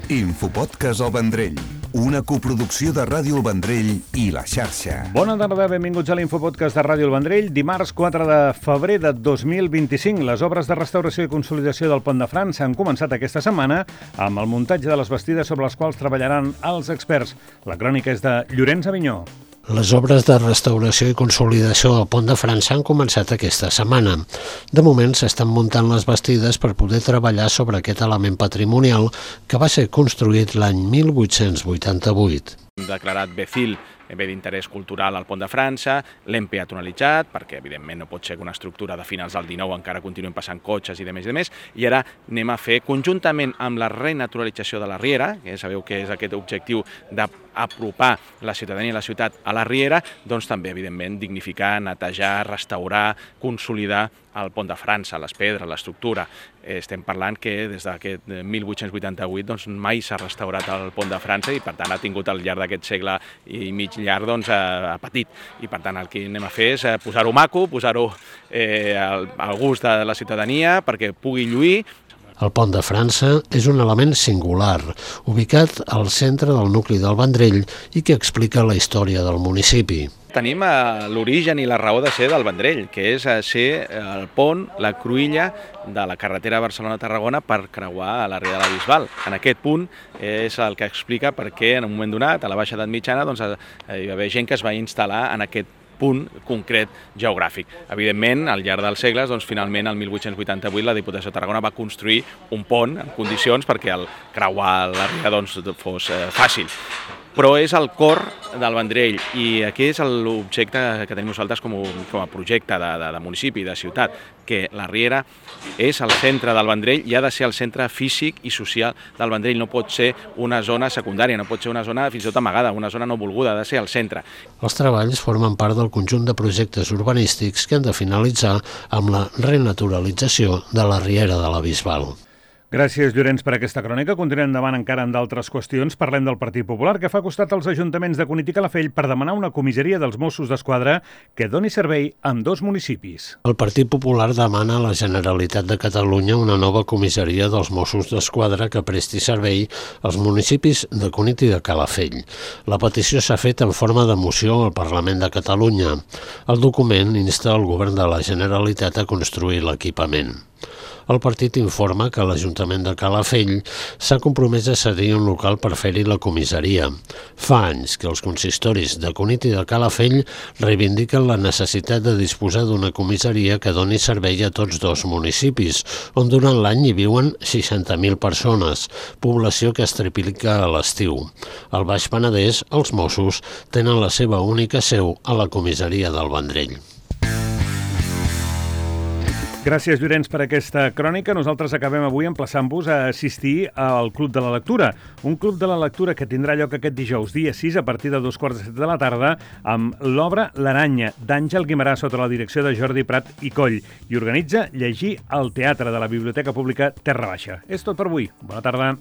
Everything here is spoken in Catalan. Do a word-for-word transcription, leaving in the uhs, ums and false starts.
Infopodcast El Vendrell, una coproducció de Ràdio El Vendrell i La Xarxa. Bona tarda, benvinguts a l'Infopodcast de Ràdio El Vendrell. Dimarts quatre de febrer de dos mil vint-i-cinc. Les obres de restauració i consolidació del Pont de França han començat aquesta setmana amb el muntatge de les bastides sobre les quals treballaran els experts. La crònica és de Llorenç Avinyó. Les obres de restauració i consolidació del Pont de França han començat aquesta setmana. De moment s'estan muntant les bastides per poder treballar sobre aquest element patrimonial que va ser construït l'any mil vuit-cents vuitanta-vuit. Declarat B C I L, bé d'interès cultural al Pont de França, l'hem peatonalitzat, perquè evidentment no pot ser que una estructura de finals del dinou encara continuen passant cotxes i de més i de més, i ara anem a fer, conjuntament amb la renaturalització de la Riera, que sabeu que és aquest objectiu d'apropar la ciutadania i la ciutat a la Riera, doncs també, evidentment, dignificar, netejar, restaurar, consolidar el Pont de França, les pedres, l'estructura. Estem parlant que des d'aquest mil vuit-cents vuitanta-vuit doncs, mai s'ha restaurat el Pont de França i per tant ha tingut al llarg d'aquest segle i mig llarg doncs, ha patit. I per tant el que anem a fer és posar-ho maco, posar-ho eh, al, al gust de la ciutadania perquè pugui lluir. El Pont de França és un element singular, ubicat al centre del nucli del Vendrell i que explica la història del municipi. Tenim l'origen i la raó de ser del Vendrell, que és ser el pont, la cruïlla de la carretera Barcelona-Tarragona per creuar a la Riera de la Bisbal. En aquest punt és el que explica per què en un moment donat, a la Baixa Edat Mitjana, doncs, hi va haver gent que es va instal·lar en aquest punt concret geogràfic. Evidentment, al llarg dels segles, doncs, finalment, el mil vuit-cents vuitanta-vuit, la Diputació de Tarragona va construir un pont en condicions perquè el creuar la Riera doncs, fos eh, fàcil. Però és el cor del Vendrell i aquí és l'objecte que tenim nosaltres com a, com a projecte de, de, de municipi, de ciutat, que la Riera és el centre del Vendrell i ha de ser el centre físic i social del Vendrell. No pot ser una zona secundària, no pot ser una zona fins i tot amagada, una zona no volguda, ha de ser el centre. Els treballs formen part del conjunt de projectes urbanístics que han de finalitzar amb la renaturalització de la Riera de la Bisbal. Gràcies, Llorenç, per aquesta crònica. Continuem endavant encara amb d'altres qüestions. Parlem del Partit Popular, que fa costat als ajuntaments de Cunit i Calafell per demanar una comissaria dels Mossos d'Esquadra que doni servei en dos municipis. El Partit Popular demana a la Generalitat de Catalunya una nova comissaria dels Mossos d'Esquadra que presti servei als municipis de Cunit i de Calafell. La petició s'ha fet en forma de moció al Parlament de Catalunya. El document insta el govern de la Generalitat a construir l'equipament. El partit informa que l'Ajuntament de Calafell s'ha compromès a cedir un local per fer-hi la comissaria. Fa anys que els consistoris de Cunit i de Calafell reivindiquen la necessitat de disposar d'una comissaria que doni servei a tots dos municipis, on durant l'any hi viuen seixanta mil persones, població que es triplica a l'estiu. Al Baix Penedès, els Mossos tenen la seva única seu a la comissaria del Vendrell. Gràcies, Llorenç, per aquesta crònica. Nosaltres acabem avui emplaçant-vos a assistir al Club de la Lectura. Un Club de la Lectura que tindrà lloc aquest dijous, dia sis, a partir de dos quarts de set de la tarda, amb l'obra L'Aranya, d'Àngel Guimerà, sota la direcció de Jordi Prat i Coll, i organitza Llegir al Teatre de la Biblioteca Pública Terra Baixa. És tot per avui. Bona tarda.